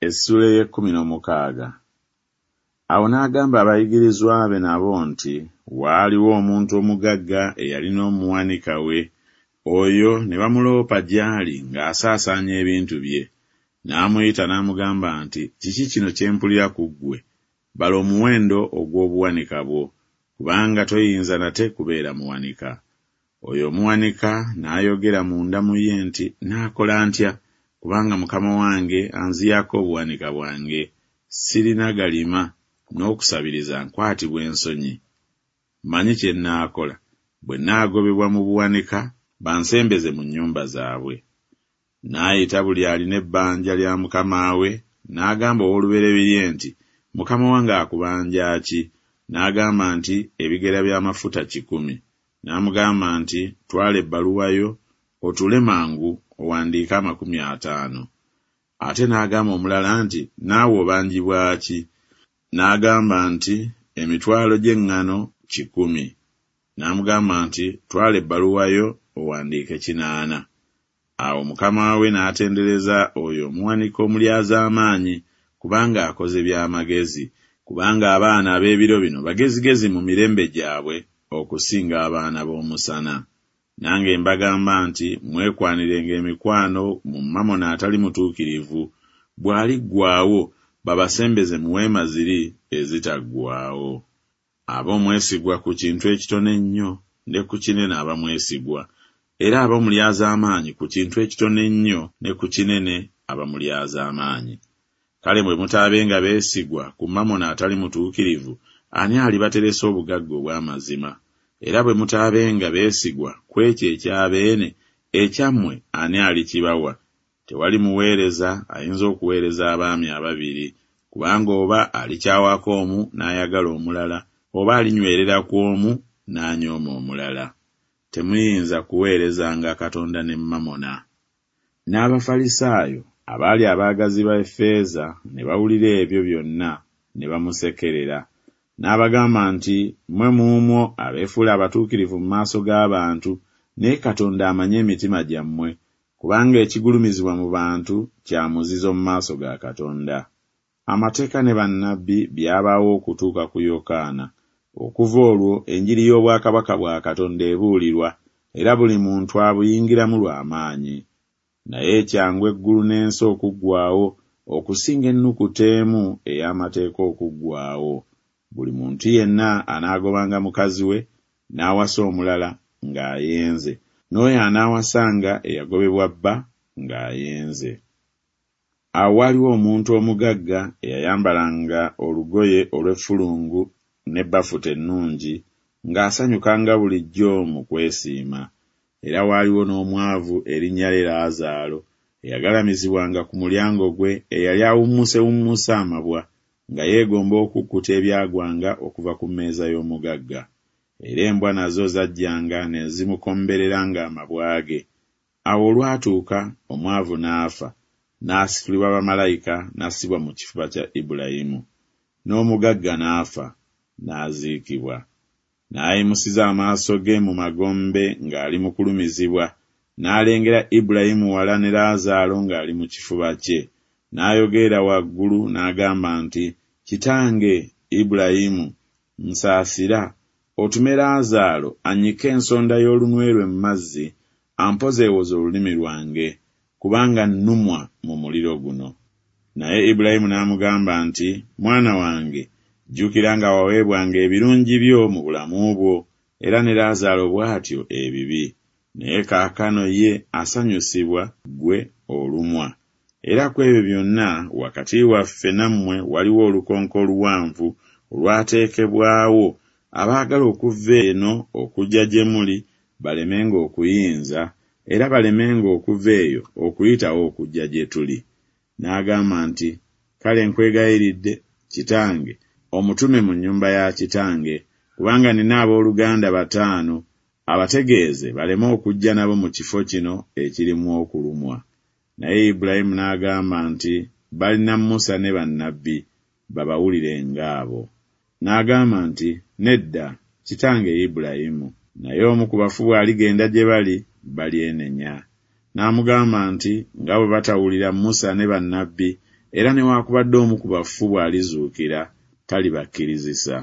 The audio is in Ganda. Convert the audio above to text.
Essuula ey'ekkumi n'omukaaga. Awo n'agamba abayigirizwa be nabo nti, Waaliwo omuntu omugagga eyalina omuwanika we, oyo ne bamuloopa gy'ali ng'asaasaanya ebintu bye. N'amuyita n'amugamba nti, Kiki kino kye mpulira ku ggwe? Bala omuwendo ogw'obuwanika bwo, kubanga toyinza nate kubeera muwanika. Oyo omuwanika n'ayogera munda mu ye nti, Naakola ntya, kubanga mukama wange anziyaako obuwanika bwange? Sirina galima, n'okusabiriza nkwatibwa ensonyi. Mmanyi kye nnaakola, bwe nnaagobebwa mu buwanika, bansembeze mu nnyumba zaabwe. N'ayita buli alina ebbanja lya mukama we, n'agamba ow'olubereberye nti, Mukama wange akubanja ki? N'agamba nti, Ebigera by'amafuta 100. N'amugamba nti, Twala ebbaluwa yo, otuule mangu, owandiike 50. Ate n'agamba omulala nti, Naawe obanjibwa ki? N'agamba nti, Emitwalo gy'eŋŋano 100. N'amugamba nti, Twala ebbaluwa yo, owandiike 80. Awo mukama we n'atendereza oyo omuwanika omulyazaamaanyi, kubanga akoze bya magezi, kubanga abaana ab'ebiro bino bagezigezi mu mirembe gyabwe okusinga abaana b'omusana. Nange mbagamba nti Mwekwanirenga emikwano mu mamona atali mutuukirivu, bw'aliggwaawo, babasembeze mu weema ziri ezitaggwaawo. Aba omwesigwa ku kintu ekitono ennyo, ne ku kinene aba mwesigwa, era aba omulyazaamaanyi ku kintu ekitono ennyo, ne ku kinene aba mulyazaamaanyi. Kale bwe mutaabenga beesigwa ku mamona atali mutuukirivu, ani alibateresa obugagga obw'amazima? Era bwe mutaabenga beesigwa ku ekyo ekya beene, ekyammwe ani alikibawa? Tewali muweereza ayinza okuweereza abaami ababiri, kubanga oba alikyawako omu n'ayagala omulala, oba alinywerera ku omu n'anyooma omulala. Temuyinza kuweerezanga Katonda ne mamona. N'Abafalisaayo, abaali abaagazi b'effeeza, ne bawulira ebyo byonna, ne bamusekerera. N'abagamba nti, Mmwe muumwo abeefuula abatuukirivu mu maaso g'abantu, naye Katonda amanyi emitima gyammwe, kubanga ekigulumizibwa mu bantu kya muzizo mu maaso ga Katonda. Amateeka ne bannabbi byabaawo okutuuka ku Yokaana, okuva olwo enjiri y'obwakabaka bwa Katonda ebuulirwa, era buli muntu abuyingiramu lwa maanyi. Naye kyangu eggulu n'ensi okuggwaawo, okusinga ennukuta emu ey'amateeka okuggwaawo. Buli muntu yenna anaagobanga mukazi we, n'awasa omulala, ng'ayenze, n'oyo anaawasanga eyagobebwa bba, ng'ayenze. Awo waaliwo omuntu omugagga eyayambalanga olugoye olw'effulungu ne bafuta ennungi, ng'asanyukanga bulijjo mu kwesiima. Era waaliwo n'omwavu erinnya lye Laazaalo, eyagalamizibwanga ku mulyango gwe, eyali awummusewummuse amabwa, nga yeegomba okukkuta ebyagwanga okuva ku mmeeza y'omugagga. Era embwa nazo zajjanga ne zimukombereranga amabwa ge. Awo olwatuuka, omwavu n'afa, n'asitulibwa bamalayika n'assibwa mu kifuba kya Ibulayimu. N'omugagga n'afa, n'aziikibwa. N'ayimusiza amaaso ge mu magombe ng'ali mu kulumizibwa, n'alengera Ibulayimu wala ne Laazaalo ng'ali mu kifuba kye. N'ayogerera waggulu n'agamba nti, Kitange, Ibulayimu, nsaasira, otume Laazaalo annyike ensonda y'olunwe lwe mu mazzi, ampozeewoze olulimi lwange, kubanga nnumwa mu muliro guno. Naye Ibulayimu n'amugamba nti, Mwana wange, jjukira nga waweebwanga ebirungi byo mu bulamu bwo, era ne Laazaalo bw'atyo ebibi, naye kaakano ye asanyusibwa, ggwe olumwa. Era ku ebyo byonna wakati waffe nammwe waliwo olukonko oluwanvu olwateekebwawo, abaagala okuva eno okujja gye muli balemenga okuyinza, era balemenga okuva eyo okuyitawo okujja gye tuli. N'agamba nti, Kale nkwegayiridde, kitange, omutume mu nnyumba ya kitange, kubanga nnina ab'oluganda bataano, abategeeze baleme okujja nabo mu kifo kino ekirimu okulumwa. Naye Ibulayimu n'agamba nti, Balina Musa ne bannabbi, babawulirenga abo. N'agamba nti, Nedda, kitange Ibulayimu, naye omu ku bafu bw'aligenda gye bali, balyenenya. N'amugamba nti, Nga bwe batawulira Musa ne bannabbi, Era newakubadde omu ku bafu bw'alizuukira, talibakkirizisa.